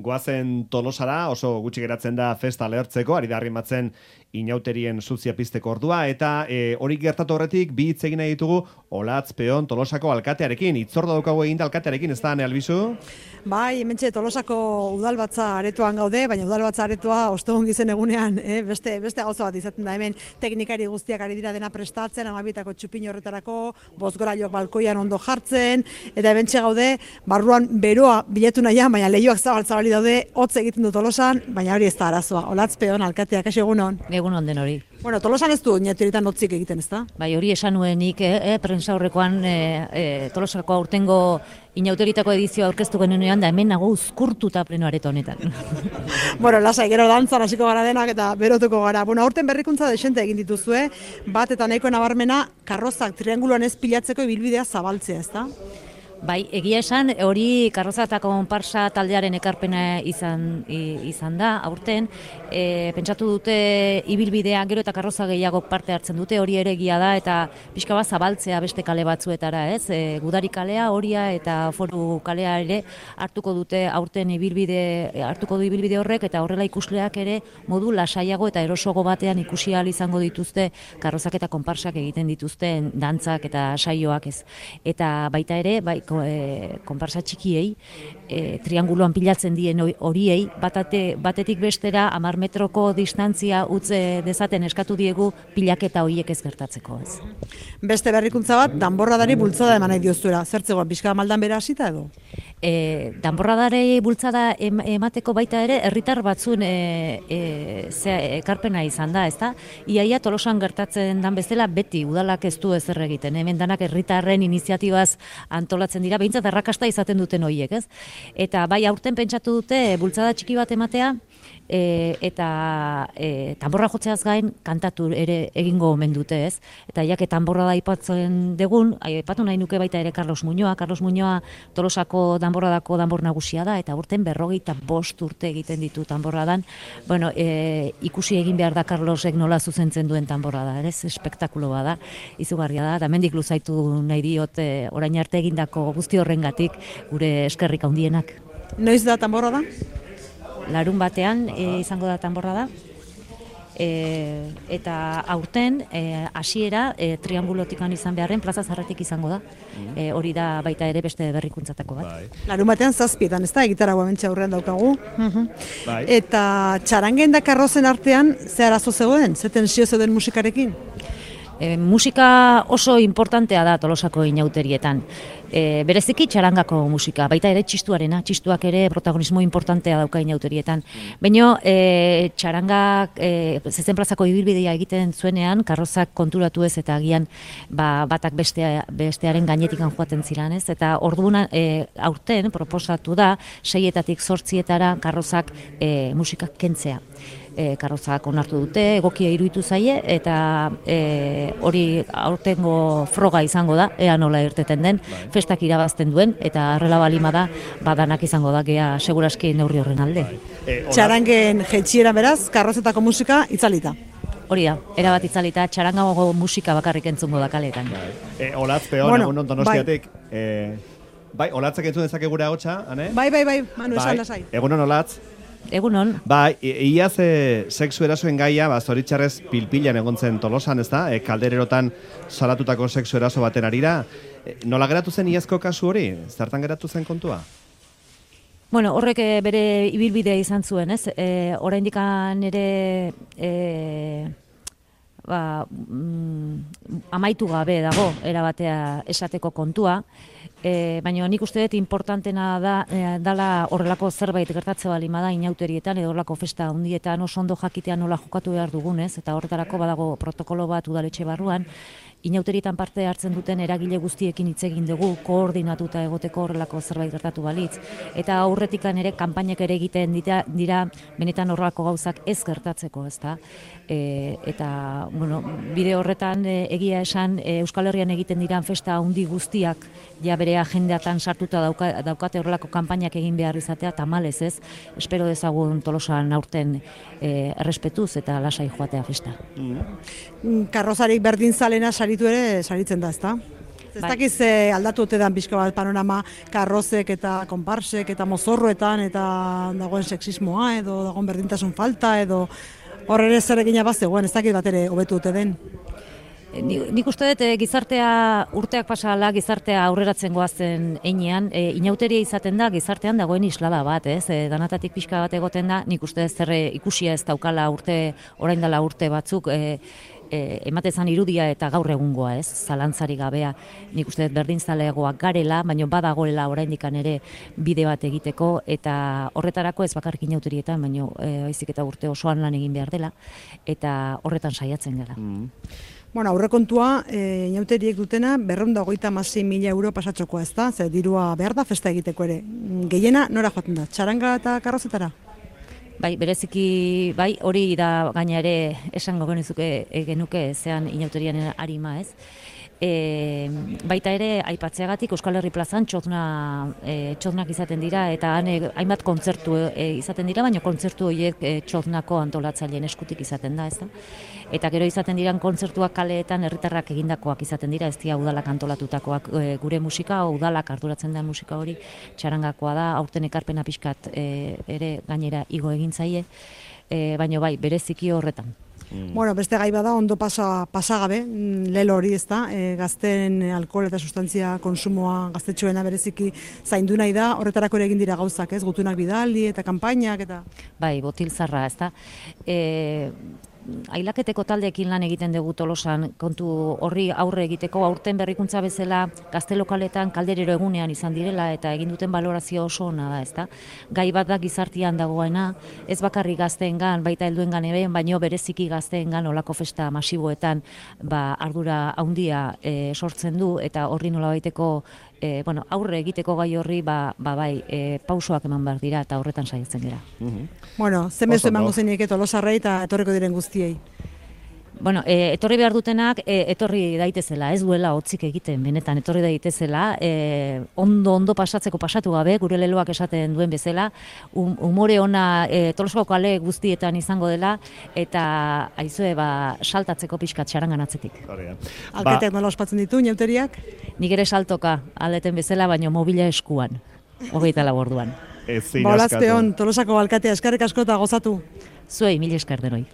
goazen Tolosara, oso gutxi geratzen da festa lehertzeko, ari da arrimatzen inauterien zuzia pizteko ordua, eta hori gertatu horretik, bi hitz egin nahi ditugu Olatz Peon Tolosako alkatearekin, hitzordu daukagu eginda alkatearekin, ez da, Ane Albizu? Bai, hementxe Tolosako udalbatza aretoan gaude, baina udalbatza aretoa ostegun gizen egunean, beste gauza bat izaten da, hemen teknikari guztiak ari dira dena prestatzen, amabietako txupin horretarako, bozgorailok balkoian ondo jartzen, eta hementxe gaude, barruan beroa bilatu nahian, baina lehioak zabaltzabali daude, hotz egiten du Tolosan, baina hori ez da arazoa. Olatz Peon alkateak, kasi egunon? Egunon den hori. Bueno, Tolosan ez du inauterietan hotzik egiten, ez da? Bai, hori esan nuenik, prensa horrekoan Tolosako aurtengo inauterietako edizioa aurkeztu genuenean, da hemen nago uzkurtuta pleno areto honetan. Bueno, lasai, gero dantzan hasiko gara denak eta berotuko gara. Bueno, aurten berrikuntza desente egin dituzue, bat eta nahiko nabarmena karrozak trianguloan ez pilatzeko ibilbidea zabaltzea, ez da? Bai, egia esan, hori karroza eta konparsa taldearen ekarpena izan da, aurten, pentsatu dute ibilbidea, gero eta karroza gehiago parte hartzen dute, hori ere egia da, eta pixka bat zabaltzea beste kale batzuetara, ez? Gudari kalea, Horia eta Foru kalea ere hartuko dute aurten hartuko du ibilbide horrek, eta horrela ikusleak ere modu lasaiago eta erosogo batean ikusi ahal izango dituzte karrozak eta konparsak egiten dituzten dantzak eta saioak, ez? Eta baita ere, bai, konparsa txikiei, trianguloan pilatzen dien horiei, batetik bestera 10 metroko distantzia utze dezaten eskatu diegu pilaketa horiek ez gertatzeko, ez. Beste berrikuntza bat, danborradari bultzada eman nahi dioztuera. Zertzegoan, pixka maldan bera hasita edo? Danborradari bultzada emateko baita ere, herritar batzuen ekarpena izan da, ezta? Iaia Tolosan gertatzen dan bezala beti udalak ez du ezer egiten. Hemen danak herritarren iniziatibaz antolatzen dira, behintzat errakasta izaten duten horiek, ez? Eta bai aurten pentsatu dute bultzada txiki bat ematea, eta tanborra jotzeaz gain kantatu ere egingo omen dute, ez? Eta jake tanborra da aipatzen degun, aipatu nahi nuke baita ere Carlos Muñoa Tolosako danborradako danbor nagusia da, eta urten 45 urte egiten ditu tanborradan. Bueno, ikusi egin behar da Carlosek nola zuzentzen duen tanborrada, ez? Espektakulo bada, izugarria da, eta mendik luzaitu nahi diot orain arte egindako guzti horrengatik gure eskerrik handienak. Noiz da tanborrada? Larun batean izango da tanborrada, eta aurten hasiera triangulotikan izan beharren plaza Zarretik izango da. Hori da baita ere beste berrikuntzatako bat. Larun batean 7:00 ez da, gitaragoa hementxe aurrean daukagu. Eta txarangen da karrozen artean, ze arazo zegoen? Ze tensio zeuden musikarekin? Musika oso importantea da Tolosako inauterietan. Bereziki txarangako musika, baita ere txistuak ere protagonismo importantea dauka inauterietan. Baina txarangak zezen plazako ibilbidea egiten zuenean, karrozak konturatu ez eta agian batak bestearen gainetikan joaten ziren, ez? Eta orduan aurten proposatu da 6-etatik 8-etara karrozak musikak kentzea. Karrozak onartu dute, egokia iruditu zaie, eta hori aurtengo froga izango da, ea nola irteten den, festak irabazten duen, eta arrela balima da, badanak izango da, gea seguraski neurri horren alde. Txarangen jetxiera beraz, karrozetako musika itzalita. Hori da, erabat itzalita, txarangago musika bakarrik entzungo da kaleetan. Olatz Peon, egunon Donostiatik. Bai, Olatzak entzun dezake gure ahotsa, Ane? Bai, Manu esan lasai. Egunon Olatz. Egunon. Bai, iaz sexu erasoen gaia, zoritxarrez pilpilan egon zen Tolosan, ez da? Kaldererotan salatutako sexu eraso baten arira. Nola geratu zen iazko kasu hori? Zertan geratu zen kontua? Bueno, horrek bere ibilbidea izan zuen, ez? Oraindikan ere amaitu gabe dago erabatea esateko kontua. Baina nik uste dut importantena dala horrelako zerbait gertatze balima da inauterietan edo horrelako festa handietan oso ondo jakitea nola jokatu behar dugunez, eta horretarako badago protokolo bat udaletxe barruan, inauterietan parte hartzen duten eragile guztiekin hitz egin dugu, koordinatuta egoteko horrelako zerbait gertatu balitz. Eta aurretikan ere kanpainak ere egiten dira benetan horrelako gauzak ez gertatzeko, ezta? Eta, bueno, bide horretan egia esan Euskal Herrian egiten diran festa handi guztiak ja bere agendeatan sartuta daukate horrelako kanpainak egin behar izatea, tamalez ez, espero dezagun Tolosan aurten errespetuz eta lasai joatea festa. Karrozarik berdin zalena saritu ere saritzen da, ezta? Ez dakiz aldatu ote dan pixka bat panorama karrozek eta konparsek eta mozorroetan eta dagoen sexismoa edo dagoen berdintasun falta edo hor ere zer egina bazegoen, ez dakit bat ere hobetu ote den. Nik uste dut gizartea urteak pasala gizartea aurreratzen goazen einean, inauteria izaten da gizartean dagoen islada bat, ez? Danatatik pixka bat egoten da, nik uste dut zer ikusia ez daukala orain dela urte batzuk, ematen zan irudia eta gaur egungoa, ez? Zalantzari gabea, nik uste dut berdinzaleagoak garela, baina badagoela oraindikan ere bide bat egiteko, eta horretarako ez bakarrik inauterietan, baina baizik eta urte osoan lan egin behar dela, eta horretan saiatzen gara. Bueno, aurrekontua inauteriek dutena 236.000 euro pasatxokoa, ez da? Zer dirua behar da festa egiteko ere. Gehiena nora joaten da? Txaranga eta karrozetara? Bai, bereziki, bai, hori da gaina ere esango genuke zean inauterian arima, ez? Baita ere, aipatzeagatik Euskal Herri plazan txotnak izaten dira, eta hainbat kontzertu izaten dira, baina kontzertu horiek txotnako antolatzaileen eskutik izaten da, ez da? Eta gero izaten diran kontzertuak kaleetan herritarrak egindakoak izaten dira, ez dira udalak antolatutakoak gure musika, udalak arduratzen da musika hori, txarangakoa da, aurten ekarpena pixkat ere gainera igo egin zaie, baina bai, bereziki horretan. Bueno, beste gai bada ondo pasagabe, lelo hori ez da, gazten alkohol eta sustantzia konsumoa gaztetxoena bereziki zaindu nahi da, horretarako ere egin dira gauzak, ez, gutunak bidali eta kanpainak eta... Bai, botil zarra, ez da. Ailaketeko taldeekin lan egiten dugu Tolosan, kontu horri aurre egiteko, aurten berrikuntza bezala gazte lokaletan kalderero egunean izan direla eta egin duten balorazio oso ona da, ezta? Gai bat da gizartean dagoena, ez bakarrik gazteengan, baita helduengan ere, baino bereziki gazteengan olako festa masiboetan ardura handia sortzen du eta horri nolabaiteko aurre egiteko gai horri pausoak eman behar dira eta horretan saiatzen gara. Bueno, zenbezu emango zeinik Tolosarrei eta etorriko diren guztiei. Bueno, etorri behar dutenak, etorri daitezela, ez duela hotzik egiten, benetan, etorri daitezela, ondo pasatzeko pasatu gabe, gure leloak esaten duen bezala, umore ona Tolosako kale guztietan izango dela, eta aizue, saltatzeko pixkat txarangan atzetik. Alkateak nola ospatzen ditu, inauteriak? Nik ere saltoka, aldeten bezala, baino mobila eskuan, 24 orduan. Olazpeon, Tolosako alkatea, eskerrik asko eta gozatu. Zuei, mil esker denoi.